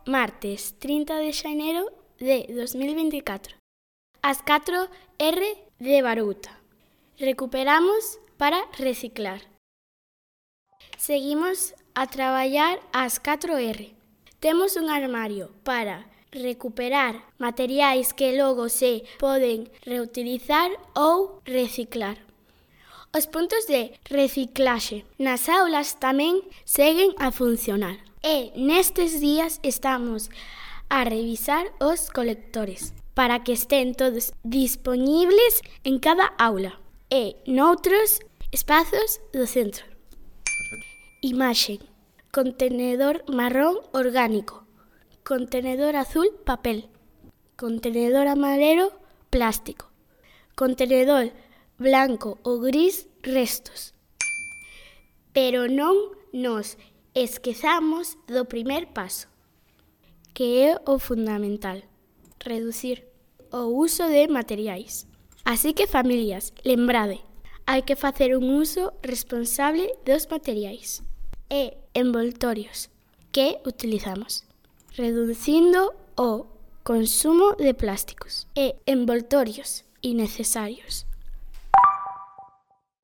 martes 30 de xaneiro de 2024. As 4R de Barouta. Recuperamos para reciclar. Seguimos a traballar as 4R. Temos un armario para recuperar materiais que logo se poden reutilizar ou reciclar. Os puntos de reciclaxe nas aulas tamén seguen a funcionar. E nestes días estamos a revisar os colectores para que estén todos dispoñibles en cada aula e noutros espazos do centro. Imaxe: contenedor marrón orgánico, contenedor azul papel, contenedor amarelo plástico, contenedor blanco ou gris restos. Pero non nos esquezamos do primer paso, que é o fundamental: reducir o uso de materiais. Así que, familias, lembrade, hai que facer un uso responsable dos materiais e envoltorios que utilizamos, reducindo o consumo de plásticos e envoltorios innecesarios.